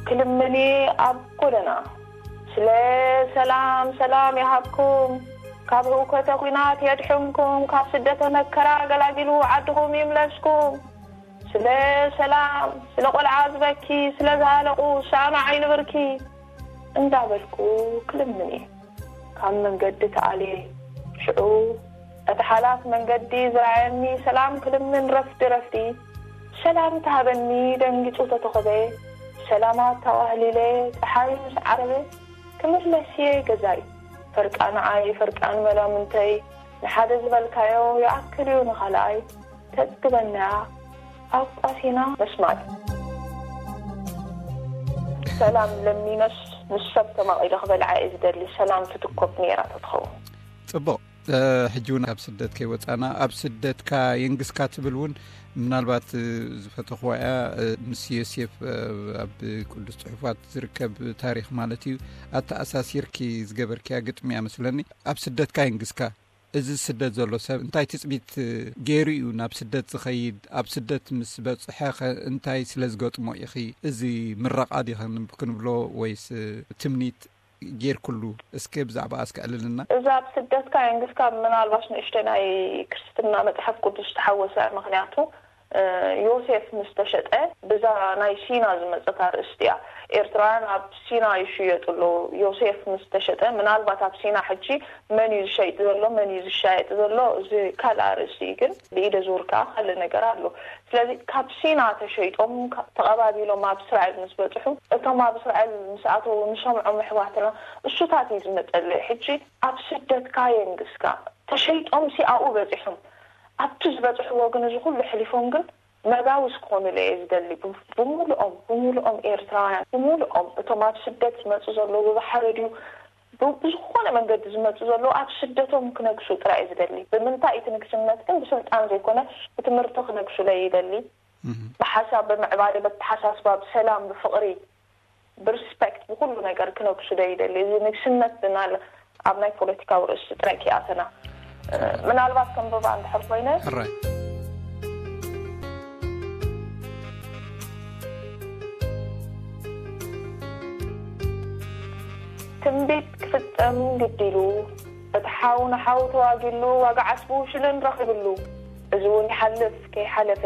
ክልምኒ ኣብ ጎደና ስለ ሰላም ሰላም ይሃብኩም፣ ካብ ህውከተ ኲናት የድሕንኩም፣ ካብ ስደተ መከራ ገላጊሉ ዓድኹም ይምለስኩም፣ ስለ ሰላም፣ ስለ ቆልዓ ዝበኪ፣ ስለ ዝሃለቑ ሳኑ ዓይኒ ብርኪ እንዳበልኩ ክልምን እየ። ካብ መንገዲ ተኣልየ ሽዑ እቲ ሓላፍ መንገዲ ዝረኣየኒ ሰላም ክልምን ረፍዲ ረፍዲ ሰላም ተሃበኒ ደንጊጹ ተተኾበ ሰላማት ተዋህሊለ ፀሓይ ምስ ዓረበ ክምለስ እየ ገዛይ ፈርቃ ንዓይ ፈርቃን መላምንተይ ንሓደ ዝበልካዮ ይኣክል እዩ ንኻልኣይ ተፅግበና ኣቋሲና መስማት ሰላም ለሚነስ ምስ ሰብ ተማቒለ ክበልዓ እየ ዝደሊ ሰላም ትትኮብ ነይራ ተትኸውን ፅቡቕ። ሕጂ እውን ካብ ስደት ከይወፃና ኣብ ስደትካ የንግስካ ትብል እውን ምናልባት ዝፈተኽዋ እያ። ምስ ዮሴፍ ኣብ ቅዱስ ፅሑፋት ዝርከብ ታሪክ ማለት እዩ ኣተኣሳሲርኪ ዝገበርክያ ግጥሚ እያ መስለኒ። ኣብ ስደትካ የንግስካ እዚ ስደት ዘሎ ሰብ እንታይ ትፅቢት ገይሩ እዩ ናብ ስደት ዝኸይድ? ኣብ ስደት ምስ በፅሐ ኸ እንታይ ስለ ዝገጥሞ ኢኺ? እዚ ምረቓ ዲ ክንብሎ ወይስ ትምኒት ጌርክሉ? እስከ ብዛዕባ እስከ ዕልልና። እዚ ኣብ ስደትካ የንግስካ ምናልባሽ ንእሽተ ናይ ክርስትና መፅሓፍ ቅዱስ ተሓወሰ ምክንያቱ ዮሴፍ ምስ ተሸጠ ብዛ ናይ ሲና ዝመፀት ኣርእስቲ እያ። ኤርትራውያን ኣብ ሲና ይሽየጡ ኣለዉ። ዮሴፍ ምስ ተሸጠ ምናልባት ኣብ ሲና ሕጂ መን እዩ ዝሸይጥ ዘሎ መን እዩ ዝሻየጥ ዘሎ እዚ ካልእ ኣርእስቲ እዩ። ግን ብኢደ ዙር ከዓ ካልእ ነገር ኣሎ። ስለዚ ካብ ሲና ተሸይጦም ተቐባቢሎም ኣብ እስራኤል ምስ በፅሑ እቶም ኣብ እስራኤል ምስ ኣተዉ ንሰምዖም ኣሕዋትና እሱታት እዩ ዝመፀለይ። ሕጂ ኣብ ስደትካ የንግስካ ተሸይጦም ሲ ኣብኡ በፂሖም ኣብቲ ዝበፅሕዎ ግን እዚ ኩሉ ሕሊፎም ግን መጋውስ ክኾኑለ እየ ዝደሊ። ብሙሉኦም ብሙሉኦም ኤርትራውያን ብሙሉኦም እቶም ኣብ ስደት ዝመፁ ዘለዉ ብባሕሪ ድዩ ብዝኾነ መንገዲ ዝመፁ ዘለዉ ኣብ ስደቶም ክነግሱ ጥራይ እየ ዝደሊ። ብምንታይ እቲ ንግስነት ግን ብስልጣን ዘይኮነ ብትምህርቲ ክነግሱለ ይደሊ። ብሓሳብ ብምዕባለ በተሓሳስባ ብሰላም ብፍቕሪ ብሪስፐክት ብኩሉ ነገር ክነግሱ ዶ ይደሊ። እዚ ንግስነት ብናል ኣብ ናይ ፖለቲካዊ ርእሲ ጥራይ ክኣተና ምናልባት ከንብባ እንድሕር ኮይነ ሕራይ ትንቢት ክፍጸም ግዲሉ እቲ ሓው ንሓው ተዋጊሉ ዋጋ ዓስቡ ሽልን ረኺብሉ። እዚ እውን ይሓልፍ ከይሓለፈ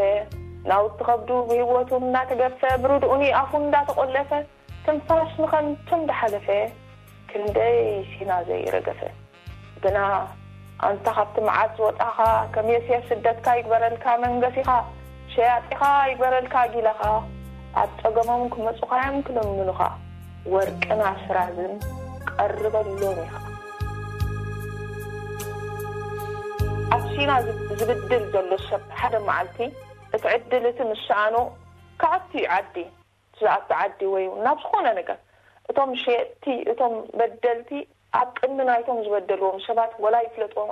ናውቲ ከብዱ ብህይወቱ እናተገፈ ብርድኡኒ ኣፉ እንዳተቆለፈ ትንፋስ ንኸንቱ እንዳሓለፈ ክንደይ ሲና ዘይረገፈ። ግና ኣንታ ካብቲ መዓት ዝወጣኻ ከም የስየፍ ስደትካ ይግበረልካ መንገሲኻ ሸያጢኻ ይግበረልካ ጊላኻ ኣብ ጸገሞም ክመጹኻ እዮም ክልምኑኻ ወርቅን ኣስራዝን ቀርበሎም ኢኻ። ኣብ ሲና ዝብድል ዘሎ ሰብ ሓደ መዓልቲ እቲ ዕድል እቲ ምስ ሰኣኖ ክኣቱ እዩ ዓዲ፣ ዝኣቱ ዓዲ ወይ እውን ናብ ዝኾነ ነገር። እቶም ሸየጥቲ፣ እቶም በደልቲ ኣብ ቅድሚ ናይቶም ዝበደልዎም ሰባት ወላ ይፍለጥዎም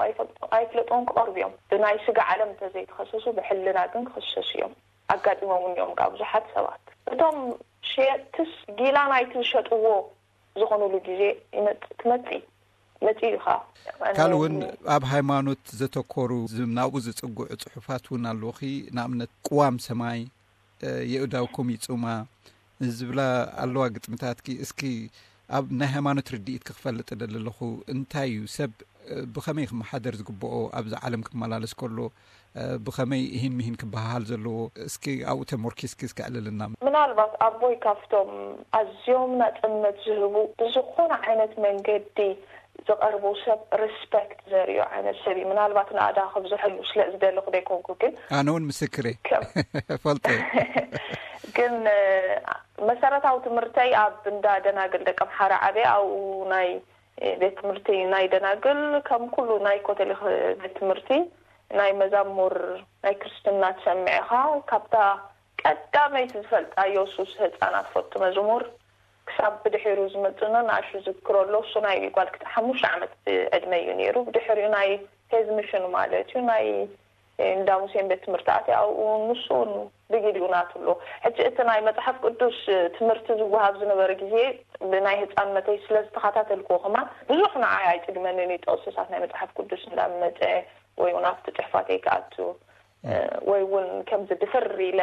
ኣይፈልጥዎም ክቐርቡ እዮም። ብናይ ስጋ ዓለም እንተዘይተኸሰሱ ብሕልና ግን ክኽሰሱ እዮም። ኣጋጢሞም እዮም ካብ ብዙሓት ሰባት። እቶም ሸየጥትስ ጊላ ናይቲ ዝሸጥዎ ዝኾኑሉ ግዜ ይመጽእ፣ ትመጽእ፣ መጽእ እዩ ኸዓ። ካልእ እውን ኣብ ሃይማኖት ዘተኮሩ ናብኡ ዝጽጉዑ ጽሑፋት እውን ኣለውኺ። ንኣብነት ቅዋም ሰማይ፣ የእዳውኩም ይጹማ ዝብላ ኣለዋ ግጥምታትኪ። እስኪ ኣብ ናይ ሃይማኖት ርድኢት ክፈልጥ ደሊ ኣለኹ። እንታይ እዩ ሰብ ብኸመይ ክመሓደር ዝግብኦ፣ ኣብዚ ዓለም ክመላለስ ከሎ ብኸመይ ይህን ምሂን ክበሃሃል ዘለዎ? እስኪ ኣብኡ ተሞርኪስኪ እስኪ ኣዕልልና። ምናልባት ኣቦይ ካብቶም ኣዝዮም ናጽነት ዝህቡ፣ ብዝኾነ ዓይነት መንገዲ ዝቐርቡ ሰብ ሪስፔክት ዘርእዩ ዓይነት ሰብ እዩ። ምናልባት ንኣዳ ክብዝሐሉ ስለ ዝደለኹ ደይኮንኩ፣ ግን ኣነ እውን ምስክር እየ። ፈልጠ። ግን መሰረታዊ ትምህርተይ ኣብ እንዳ ደናግል ደቀምሓራ ዓብየ። ኣብኡ ናይ ቤት ትምህርቲ ናይ ደናግል፣ ከም ኩሉ ናይ ኮተሊክ ቤት ትምህርቲ፣ ናይ መዛሙር ናይ ክርስትና ትሰምዕ ኢኻ። ካብታ ቀዳመይቲ ዝፈልጣ የሱስ ህፃናት ፈቱ መዝሙር ክሳብ ብድሒሩ ዝመፅእና ንኣሹ ዝክሮ ኣሎ። እሱ ናይ ጓል ክልተ ሓሙሽተ ዓመት ዕድመ እዩ ነይሩ። ብድሕሪኡ ናይ ሄዝ ሚሽን ማለት እዩ፣ ናይ እንዳ ሙሴን ቤት ትምህርቲ ኣትየ። ኣብኡ ንሱ እውን ብጊዲኡ ናቱ ኣሎ። ሕጂ እቲ ናይ መፅሓፍ ቅዱስ ትምህርቲ ዝወሃብ ዝነበረ ግዜ ብናይ ህፃንነተይ ስለ ዝተኸታተልክዎ ከማን ብዙሕ ንዓይ ኣይፅግመንን እዩ፣ ጥቕስታት ናይ መፅሓፍ ቅዱስ እንዳመፀ ወይ እውን ኣብቲ ፅሕፋተይ ክኣቱ ወይ እውን ከምዚ ድፍር ኢለ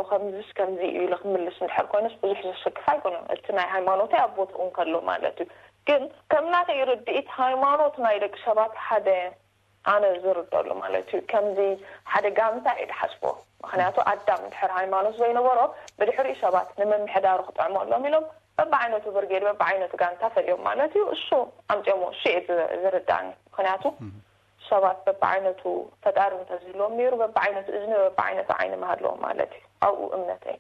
ከምዚስ ከምዚ እዩ ኢለ ክምልስ እንድሕር ኮይኑስ ብዙሕ ዘሰክፍ ኣይኮነን። እቲ ናይ ሃይማኖተይ ኣብ ቦትኡ እንከሎ ማለት እዩ። ግን ከም ናተይ ርድኢት ሃይማኖት ናይ ደቂ ሰባት ሓደ ኣነ ዝርደሉ ማለት እዩ። ከምዚ ሓደ ጋንታ እየ ድሓስቦ። ምክንያቱ ኣዳም ድሕር ሃይማኖት ዘይነበሮ ብድሕሪኡ ሰባት ንምምሕዳሩ ክጥዕመሎም ኢሎም በብዓይነቱ ብርጌድ በብዓይነቱ ጋንታ ፈልዮም ማለት እዩ። እሱ ኣምፅኦሞ እሱ እየ ዝርዳኒ። ምክንያቱ ሰባት በብዓይነቱ ፈጣሪ እንተዝህልዎም ነይሩ በብዓይነቱ እዝኒ በብዓይነቱ ዓይኒ ምሃለዎም ማለት እዩ። ኣብኡ እምነተይ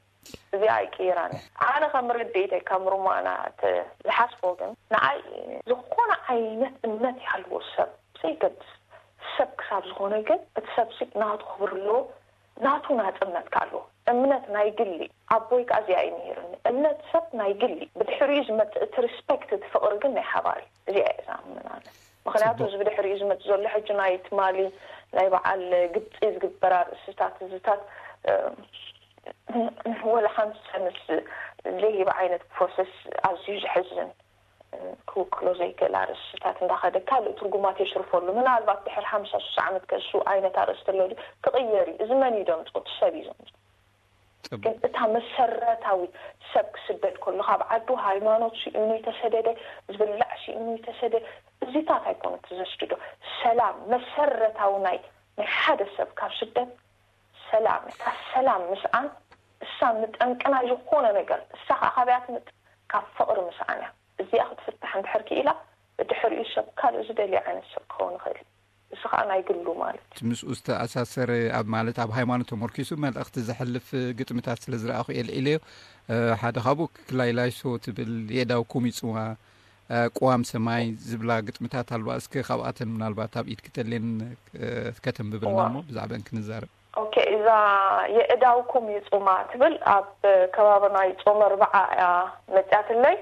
እዚኣ ኣይቅይራን። ኣነ ከም ርድኢተይ ከም ሩማና ዝሓስቦ ግን ንኣይ ዝኾነ ዓይነት እምነት ይሃልዎ ሰብ ዘይገድስ ሰብ ክሳብ ዝኾነ ግን እቲ ሰብ ሲ ናቱ ክብር ኣለዎ። ናቱ ናፅነት ከ ኣለዎ። እምነት ናይ ግሊ ኣቦይ ከዓ እዚኣ እዩ ነይርኒ። እምነት ሰብ ናይ ግሊ ብድሕሪኡ ዝመፅእ እቲ ሪስፔክት እቲ ፍቅሪ ግን ናይ ሓባር እዩ። እዚኣ እየ ዝኣምን ኣነ። ምክንያቱ እዚ ብድሕሪኡ ዝመፅእ ዘሎ ሕጂ ናይ ትማሊ ናይ በዓል ግብፂ ዝግበር ኣርእስታት እዚታት ወላ ሓንቲ ሰንስ ዘይህብ ዓይነት ፕሮሰስ ኣዝዩ ዘሕዝን ክውክሎ ዘይክእል ኣርእስታት እንዳኸደ ካልእ ትርጉማት የሽርፈሉ። ምናልባት ድሕር ሓምሳ ሱሳ ዓመት ከሱ ዓይነት ኣርእስቲ ኣሎ ክቕየር እዩ። እዚ መን እዩ ዘምፅኦ? እቲ ሰብ እዩ ዘምፅኦ። ግን እታ መሰረታዊ ሰብ ክስደድ ከሎ ካብ ዓዱ ሃይማኖት ስኢኑ ይተሰደደ፣ ዝብላዕ ስኢኑ ይተሰደ፣ እዚታት ኣይኮነ እቲ ዘስድዶ። ሰላም መሰረታዊ ናይ ናይ ሓደ ሰብ ካብ ስደት ሰላም እታ ሰላም ምስኣን እሳ ንጠንቅና ዝኾነ ነገር እሳ ከዓ ካበያ ትምፅ ካብ ፍቅሪ ምስኣን እያ። እዚኣ ክትፍታሕ እንድሕር ክኢላ ብድሕሪኡ ሰብ ካልእ ዝደልዮ ዓይነት ሰብ ክኸውን ይኽእል። እዚ ከዓ ናይ ግሉ ማለት እዩ። ምስኡ ዝተኣሳሰረ ኣብ ማለት ኣብ ሃይማኖት ተመርኪሱ መልእኽቲ ዘሕልፍ ግጥምታት ስለ ዝረኣኹ እየ ልዒለዮ። ሓደ ካብኡ ክላይላይሶ ትብል የእዳውኩም ይፅዋ ቅዋም ሰማይ ዝብላ ግጥምታት ኣለዋ። እስከ ካብኣተን ምናልባት ኣብ ኢድ ክተሌን ከተንብብልና እሞ ብዛዕባን ክንዛረብ። ኦኬ፣ እዛ የእዳውኩም ይፁማ ትብል ኣብ ከባቢ ናይ ፆመ ኣርብዓ እያ መፅያትለይ።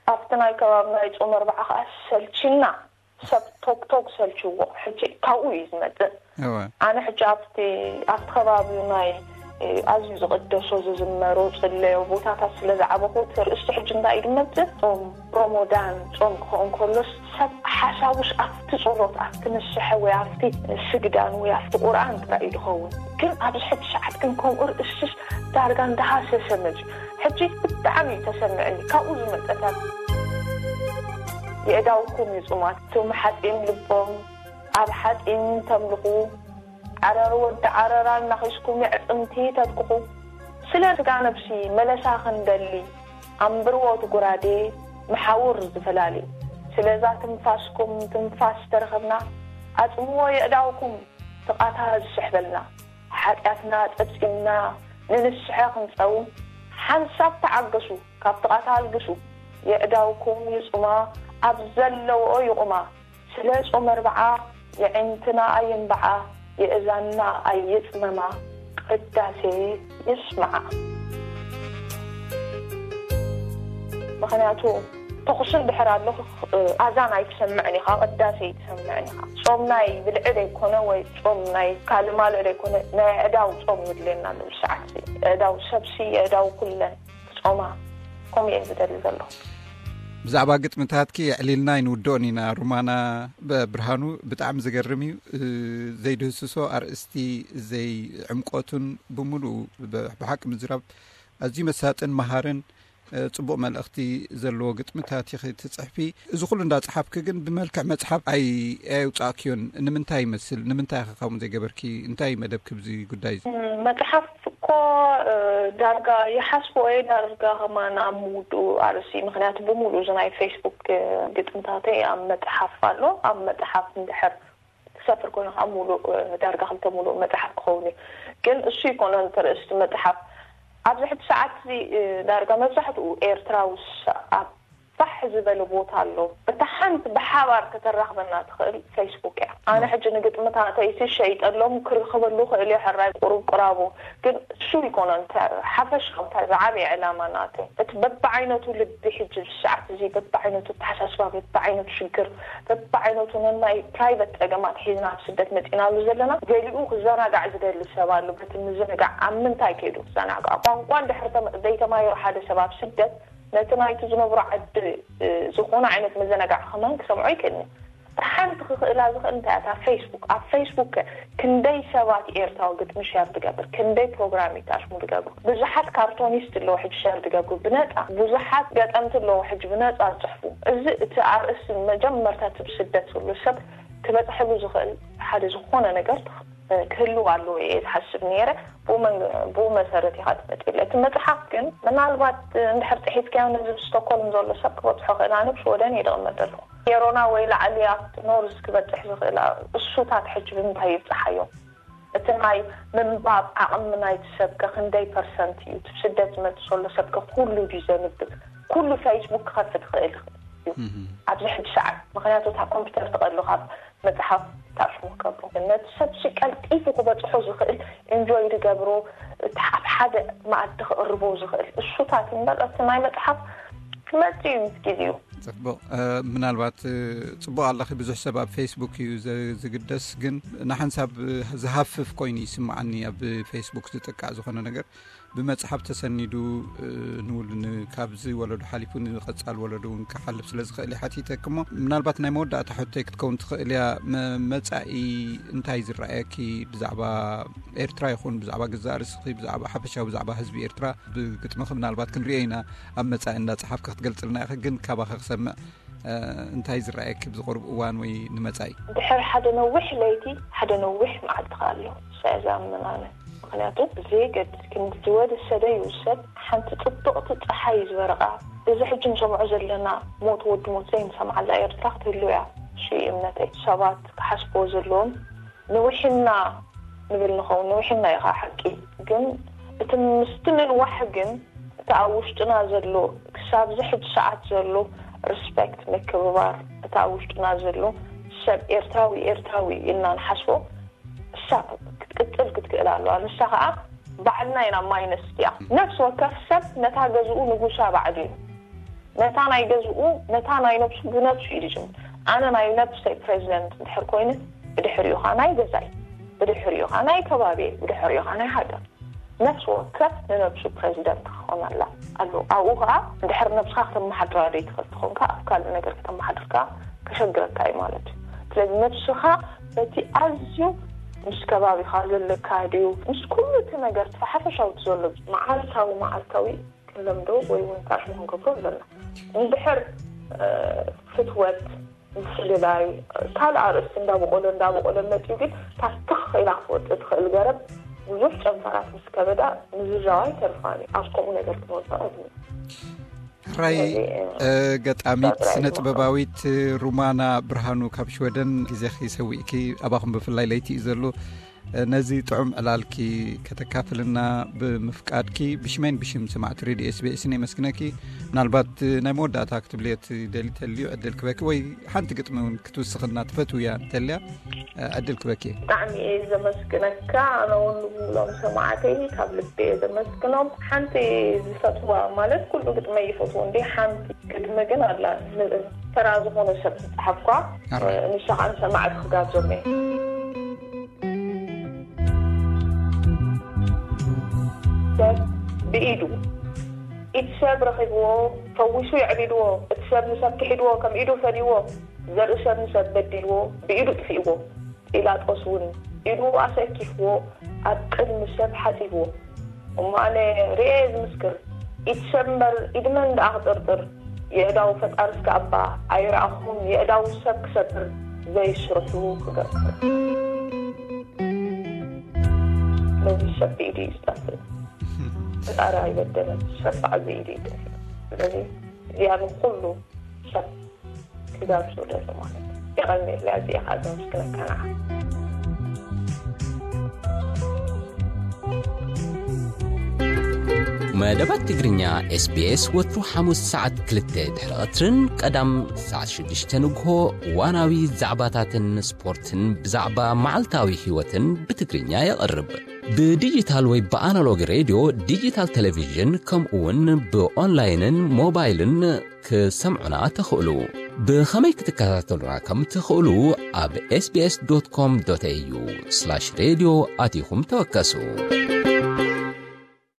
ኣብቲ ናይ ከባቢ ናይ ጾም ኣርብዓ ከዓ ሰልችና ሰብ ቶክቶክ ሰልችዎ ሕጂ ካብኡ እዩ ዝመፅእ። ኣነ ሕጂ ኣብቲ ኣብቲ ከባቢ ናይ ኣዝዩ ዝቕደሶ ዝዝመሮ ፅለዮ ቦታታት ስለ ዝዓበኹ እቲ ርእስቲ ሕጂ እንታይ እዩ ዝመፅእ? ጾም ሮሞዳን ጾም ክኸውን ከሎስ ሰብ ሓሳቡስ ኣብቲ ጸሎት ኣብቲ ንስሐ ወይ ኣብቲ ስግዳን ወይ ኣብቲ ቁርኣን ጥራይ እዩ ዝኸውን። ግን ኣብዚ ሕጂ ሰዓት ግን ከምኡ ርእስስ ዳርጋ እንዳሃሰሰ መፅዩ። ሕጂ ብጣዕሚ እዩ ተሰምዐኒ ካብኡ ዝመፀታት። የእዳውኩም ይፁማት እቶም ሓፂን ልቦም ኣብ ሓፂን ተምልኹ ዓረር ወዲ ዓረራ እናኺስኩም የዕፅምቲ ተትኩኹ። ስለ ስጋ ነብሲ መለሳ ክንደሊ ኣንብርዎ እቲ ጉራዴ መሓውር ዝፈላሊ። ስለዛ ትንፋስኩም ትንፋስ ተረኸብና ኣፅምዎ የእዳውኩም ትቓታ ዝስሕበልና። ሓጢኣትና ጸብጺብና ንንስሐ ክንጸውም ሓንሳብ ተዓገሱ ካብ ጥቓታ ኣልግሱ። የእዳውኩም ይጹማ ኣብ ዘለውኦ ይቑማ። ስለ ጾም ኣርብዓ የዒንትና ኣይንብዓ የእዛንና ኣይጽመማ። ቅዳሴ ይስማዓ። ምኽንያቱ ተኹሲ እንድሕር ኣሎ፣ ኣዛን ኣይትሰምዕን ኢኻ፣ ቅዳሴ ኣይትሰምዕን ኢኻ። ጾም ናይ ብልዒ ዘይኮነ ወይ ጾም ናይ ካልእ ማልእ ዘይኮነ፣ ናይ ኣእዳው ጾም የድልየና ኣሎ። ብሰዓት ኣእዳው ሰብሲ፣ ኣእዳው ኩለን ጾማ፣ ከምኡ እየ ዝደሊ ዘለኹ። ብዛዕባ ግጥምታትኪ የዕሊልና ኣይንውድኦን ኢና ሩማና። ብርሃኑ፣ ብጣዕሚ ዝገርም እዩ። ዘይድህስሶ ኣርእስቲ፣ ዘይዕምቆቱን ብምሉኡ ብሓቂ ምዝራብ ኣዝዩ መሳጥን መሃርን ጽቡቕ መልእኽቲ ዘለዎ ግጥምታት ኢኺ ትጽሕፊ። እዚ ኩሉ እንዳጸሓፍኪ ግን ብመልክዕ መጽሓፍ ኣይ ኣየውጻእክዮን። ንምንታይ ይመስል? ንምንታይ ኢኺ ከምኡ ዘይገበርኪ? እንታይ መደብኪ ብዚ ጉዳይ እዚ? መጽሓፍ እኮ ዳርጋ ይሓስቦ እየ፣ ዳርጋ ከማን ኣብ ምውድኡ ኣርእሲ። ምኽንያቱ ብምሉእ እዚ ናይ ፌስቡክ ግጥምታተይ ኣብ መጽሓፍ ኣሎ። ኣብ መጽሓፍ እንድሕር ክሰፍር ኮይኑ ካብ ሙሉእ ዳርጋ ክልተ ሙሉእ መጽሓፍ ክኸውን እዩ። ግን እሱ ይኮነ እንተርእስቲ መጽሓፍ ኣብዚ ሕጂ ሰዓት እዚ ዳርጋ መብዛሕትኡ ኤርትራዊ ኣብ ፋሕ ዝበለ ቦታ ኣሎ። እታ ሓንቲ ብሓባር ከተራኽበና ትኽእል ፌስቡክ እያ። ኣነ ሕጂ ንግጥምታተይሲ ሸይጠሎም ክርኽበሉ ክእል እየ፣ ሕራይ ቁሩብ ቁራቡ። ግን እሱ ይኮነ እንተ ሓፈሻ እንታይ ዝዓበየ ዕላማ ናተይ፣ እቲ በብዓይነቱ ልቢ ሕጂ ብሰዓት እዚ በብዓይነቱ ኣተሓሳስባ፣ በብዓይነቱ ሽግር፣ በብዓይነቱ ነናይ ፕራይቨት ጸገማት ሒዝና ኣብ ስደት መጺናሉ ዘለና፣ ገሊኡ ክዘናጋዕ ዝደሊ ሰብ ኣሎ። በቲ ምዝንጋዕ ኣብ ምንታይ ከይዱ ክዘናጋዕ? ቋንቋ እንድሕር ተመ-፣ ዘይተማሂሩ ሓደ ሰብ ኣብ ስደት ነቲ ናይቲ ዝነብሮ ዓዲ ዝኾነ ዓይነት መዘናጋዕ ከማን ክሰምዖ ይክእልኒ። ሓንቲ ክኽእላ ዝኽእል እንታይ እያ? እታ ፌስቡክ። ኣብ ፌስቡክ ከ ክንደይ ሰባት ኤርትራዊ ግጥሚ ሸር ትገብር? ክንደይ ፕሮግራሚስት ኣሽሙ ትገብሩ? ብዙሓት ካርቶኒስት ኣለዉ ሕጂ ሸር ትገብሩ ብነጻ። ብዙሓት ገጠምቲ ኣለዉ ሕጂ ብነጻ ዝጽሕፉ። እዚ እቲ ኣርእስቲ መጀመርታ እቲ ብስደት ዘሎ ሰብ ክበጽሐሉ ዝኽእል ሓደ ዝኾነ ነገር ክህልው ኣለዎ እየ ዝሓስብ ነይረ። ብኡ መን-፣ ብኡ መሰረት ኢኻ ትመጽእ። እቲ መጽሓፍ ግን ምናልባት እንድሕር ጽሒፍካዮ ነዚ ብስቶኮልም ዘሎ ሰብ ክበጽሖ ክእል። ኣነ ብሽወደን እየ ዝቕመጥ ዘለኹ። ኔሮና ወይ ላዕሊ ኣብቲ ኖርዝ ክበጽሕ ዝኽእል እሱታት ሕጂ ብምንታይ ይብጽሓዮ? እቲ ናይ ምንባብ ዓቕሚ ናይቲ ሰብከ ክንደይ ፐርሰንት እዩ? እቲ ብስደት ዝመጽእ ዘሎ ሰብከ ኩሉ ድዩ ዘንብብ? ኩሉ ፌስቡክ ክኸፍት ክእል እዩ ኣብዚ ሕጂ ሰዓት። ምኽንያቱ እታ ኮምፒውተር ትቐሉ ካብ መጽሓፍ ታሽሙ ከብሩ። ነቲ ሰብሲ ቀልጢፉ ክበጽሖ ዝኽእል ኢንጆይ ዝገብሮ፣ እቲ ኣብ ሓደ መኣዲ ክቕርቦ ዝኽእል እሱታት እምበር እቲ ናይ መጽሓፍ ክመጽእ እዩ ምስ ግዜኡ። ጽቡቕ። እ፣ ምናልባት፣ እ፣ ጽቡቕ ኣለኺ። ብዙሕ ሰብ ኣብ ፌስቡክ እዩ ዘ-፣ ዝግደስ፣ ግን ንሓንሳብ ዝሃፍፍ ኮይኑ ይስምዓኒ ኣብ ፌስቡክ ዝጥቃዕ ዝኾነ ነገር። ብመጽሓፍ ተሰኒዱ፣ እ፣ ንውል-፣ ን-፣ ካብዚ ወለዶ ሓሊፉ ንቐጻል ወለዶ እውን ክሓልፍ ስለ ዝኽእል እየ ሓቲተኪ። እሞ ምናልባት ናይ መወዳእታ ሕቶይ ክትከውን ትኽእል እያ። መ-፣ መጻኢ እንታይ ዝረኣየኪ ብዛዕባ ኤርትራ ይኹን ብዛዕባ ገዛእ ርእስኺ፣ ብዛዕባ ሓፈሻዊ፣ ብዛዕባ ህዝቢ ኤርትራ ብግጥምኺ ምናልባት ክንሪኦ ኢና ኣብ መጻኢ እንዳጸሓፍኪ ክትገልጽልና ኢኺ። ግን ካባኺ ክሰምዕ እ፣ እንታይ ዝረኣየኪ ብዝቐርብ እዋን ወይ ንመጻኢ? ድሕሪ ሓደ ነዊሕ ለይቲ፣ ሓደ ነዊሕ መዓልቲ ከኣ ኣሎ። እሳ እያ ዝኣምን ኣነ። ምኽንያቱ፣ ብዘየገድስ ክንዲ ዝወደሰ ደይውሰድ፣ ሓንቲ ጽብቕቲ ጸሓይ ዝበረቓ፣ እዚ ሕጂ ንሰምዖ ዘለና ሞት ወዲ ሞት ዘይንሰምዓላ ኤርትራ ክትህሉ እያ። እሱ እዩ እምነተይ። ሰባት ክሓስብዎ ዘለዎም ንውሒና ንብል ንኸውን፣ ንውሒና ኢኻ ሓቂ። ግን እቲ ምስቲ ምንዋሕ ግን እቲ ኣብ ውሽጥና ዘሎ፣ ክሳብ እዚ ሕጂ ሰዓት ዘሎ ሪስፔክት፣ ምክብባር፣ እቲ ኣብ ውሽጥና ዘሎ ሰብ ኤርትራዊ፣ ኤርትራዊ ኢልና ንሓስቦ፣ እሳ ክትቅጽል ክትክእል ኣለዋ። ንሳ ኸኣ ባዕልና ኢና ማይነስ እቲኣ። ነፍሲ ወከፍ ሰብ ነታ ገዝኡ ንጉሳ ባዕሉ እዩ። ነታ ናይ ገዝኡ፣ ነታ ናይ ነብሱ ብነብሱ እዩ ዝጅምር። ኣነ ናይ ነብሰይ ፕሬዚደንት እንድሕር ኮይነ፣ ብድሕሪኡ ኸኣ ናይ ገዛይ፣ ብድሕሪኡ ኸኣ ናይ ከባቢየ፣ ብድሕሪኡ ኸኣ ናይ ሃገር። ነፍሲ ወከፍ ንነብሱ ፕሬዚደንት ክኾነላ ኣለዎ። ኣብኡ ኸኣ እንድሕር ነብስኻ ከተመሓድራ ዘይትኽእል ትኾንካ፣ ኣብ ካልእ ነገር ከተመሓድርካ ከሸግረካ እዩ ማለት እዩ። ስለዚ ነብስኻ በቲ ኣዝዩ ምስ ከባቢኻ ዘለካ ድዩ፣ ምስ ኩሉ እቲ ነገር፣ እቲ ሓፈሻዊ እቲ ዘሎ መዓልታዊ መዓልታዊ ክንለምዶ ወይ እውን ታሽሙ ክንገብሮ ኣለና። እንድሕር፣ እ፣ ፍትወት፣ ምፍልላይ፣ ካልእ ኣርእስቲ እንዳበቆሎ እንዳበቆሎ መጺኡ፣ ግን ታትኽ ኢላ ክትወጽእ ትኽእል ገረብ ብዙሕ ጨንፈራት ምስ ከበዳ ምዝዛዋ ኣይተርፋን እዩ። ኣብ ከምኡ ነገር ክንወጽእ ኣለና። ሕራይ፣ ስለዚ፣ እ፣ እ፣ ገጣሚት፣ ስነ ጥበባዊት ሩማና ብርሃኑ ካብ ሽወደን፣ ግዜኺ ሰዊእኪ፣ ኣባኹም ብፍላይ ለይቲ እዩ ዘሎ። ነዚ ጥዑም ዕላልኪ ከተካፍልና ብምፍቃድኪ ብሽመይን ብሽም ሰማዕቲ ሬድዮ ኤስቢኤስን የመስግነኪ። ምናልባት ናይ መወዳእታ ክትብልዮ ትደሊ ተልዩ ዕድል ክበኪ፣ ወይ ሓንቲ ግጥሚ እውን ክትውስኽና ትፈትውያ እንተልያ ዕድል ክበኪ። ብጣዕሚ እየ ዘመስግነካ። ኣነ እውን ንብሎም ሰማዕተይ ካብ ልቢ እየ ዘመስግኖም። ሓንቲ ዝፈትዋ፣ ማለት ኩሉ ግጥመይ ይፈትዎ እንዲ፣ ሓንቲ ግጥሚ ግን ኣላ፣ ን-፣ ተራ ዝኾነ ሰብ ዝጸሓፍኳ። ኣራይ። ንሳ ከዓ ንሰማዕቲ ክጋብዞም እየ። ሰብ ብኢዱ፣ ኢድ ሰብ ረኺብዎ፣ ፈዊሱ የዕቢድዎ። እቲ ሰብ ንሰብ ክሒድዎ፣ ከም ኢዱ ፈንይዎ። ዘርኢ ሰብ ንሰብ በዲልዎ፣ ብኢዱ ጥፊእዎ። ጲላጦስ እውን ኢዱ ኣሰኪፍዎ፣ ኣብ ቅድሚ ሰብ ሓጺብዎ። እሞ ኣነ ርእየ ዝምስክር፣ ኢድ ሰብ እምበር ኢድ መን ደኣ ክጥርጥር? የእዳው ፈጣሪ እስከ ኣባ ኣይረኣኹን፣ የእዳው ሰብ ክሰብር ዘይስርሑ ክገብር። ስለዚ ሰብ ብኢዱ እዩ ዝጠፍእ። ፈጣሪ ኣይበደለን፣ ሰብ ባዕሉ ብኢዱ እዩ ይጠፍእ። ስለዚ እዚኣ ንኹሉ ሰብ ክጋብዞ ደሎ ማለት እዩ። የቐንየለይ፣ ኣዚኣ ከዓ ዘመስግነካ ንዓ። መደባት ትግርኛ ኤስቢኤስ ወትሩ ሓሙስ ሰዓት ክልተ ድሕሪ ቐትርን ቀዳም ሰዓት ሽዱሽተ ንግሆ እዋናዊ ዛዕባታትን ስፖርትን ብዛዕባ መዓልታዊ ህይወትን ብትግርኛ የቕርብ። ብዲጂታል ወይ ብኣናሎግ ሬድዮ፣ ዲጂታል ቴሌቪዥን፣ ከምኡ እውን ብኦንላይንን ሞባይልን ክሰምዑና ትኽእሉ። ብኸመይ ክትከታተሉና ከም ትኽእሉ ኣብ ኤስቢኤስ ዶት ኮም ዶት ኤዩ ስላሽ ሬድዮ ኣቲኹም ተወከሱ።